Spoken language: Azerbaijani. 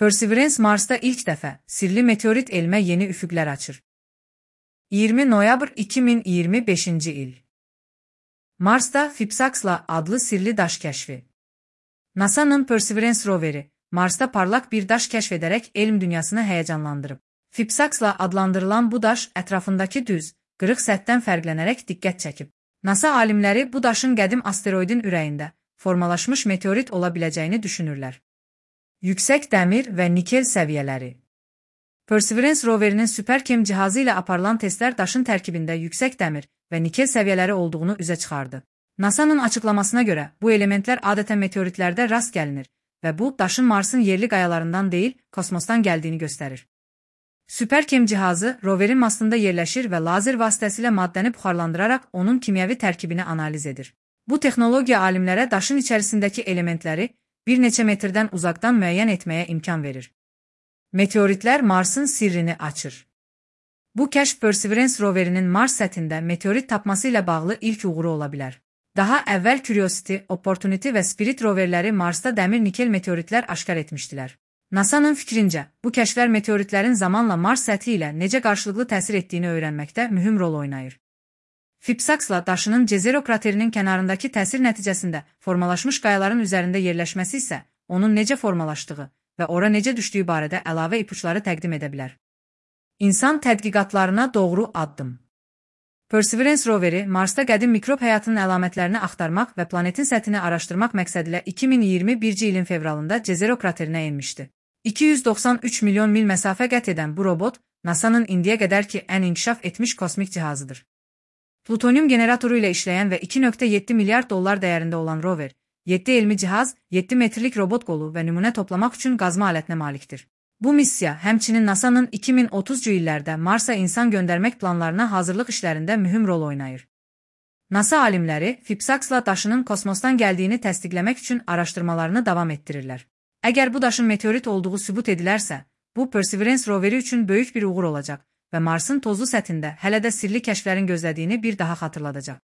Perseverance Mars'ta ilk dəfə sirli meteorit elmə yeni üfüqlər açır. 20 noyabr 2025-ci il. Marsda Phipsaxla adlı sirli daş kəşfi. NASA'nın Perseverance roveri Marsda parlaq bir daş kəşf edərək elm dünyasını həyəcanlandırıb. Phipsaxla adlandırılan bu daş ətrafındakı düz, qırıq səthdən fərqlənərək diqqət çəkib. NASA alimləri bu daşın qədim asteroidin ürəyində formalaşmış meteorit ola biləcəyini düşünürlər. Yüksək dəmir və nikel səviyyələri. Perseverance roverinin SuperChem cihazı ilə aparılan testlər daşın tərkibində yüksək dəmir və nikel səviyyələri olduğunu üzə çıxardı. NASA'nın açıqlamasına görə bu elementlər adətən meteoritlərdə rast gəlinir və bu daşın Marsın yerli qayalarından deyil, kosmosdan gəldiyini göstərir. SuperChem cihazı roverin mastında yerləşir və lazer vasitəsilə maddəni buxarlandıraraq onun kimyəvi tərkibini analiz edir. Bu texnologiya alimlərə daşın içərisindəki elementləri bir neçə metrdən uzaqdan müəyyən etməyə imkan verir. Meteoritlər Marsın sirrini açır. Bu kəşf Perseverance roverinin Mars səthində meteorit tapması ilə bağlı ilk uğuru ola bilər. Daha əvvəl Curiosity, Opportunity və Spirit roverləri Marsda dəmir-nikel meteoritlər aşkar etmişdilər. NASA'nın fikrincə, bu kəşflər meteoritlərin zamanla Mars səthi ilə necə qarşılıqlı təsir etdiyini öyrənməkdə mühüm rol oynayır. Phipsaxla daşının Jezero kraterinin kənarındakı təsir nəticəsində formalaşmış qayaların üzərində yerləşməsi isə onun necə formalaşdığı və ora necə düşdüyü barədə əlavə ipuçları təqdim edə bilər. İnsan tədqiqatlarına doğru addım. Perseverance roveri Marsda qədim mikrob həyatının əlamətlərini axtarmaq və planetin səthini araşdırmaq məqsədilə 2021-ci ilin fevralında Jezero kraterinə enmişdi. 293 milyon mil məsafə qət edən bu robot NASA'nın indiyə qədər ki ən inkişaf etmiş kosmik cihazıdır. Plutonium generatoru ilə işləyən və 2,7 milyard dollar dəyərində olan rover, 7 elmi cihaz, 7 metrlik robot qolu və nümunə toplamaq üçün qazma alətinə malikdir. Bu missiya həmçinin NASA'nın 2030-cu illərdə Marsa insan göndərmək planlarına hazırlıq işlərində mühüm rol oynayır. NASA alimləri Phipsaxla daşının kosmosdan gəldiyini təsdiqləmək üçün araşdırmalarını davam etdirirlər. Əgər bu daşın meteorit olduğu sübut edilərsə, bu Perseverance roveri üçün böyük bir uğur olacaq və Marsın tozlu səthində hələ də sirli kəşflərin gözlədiyini bir daha xatırladacaq.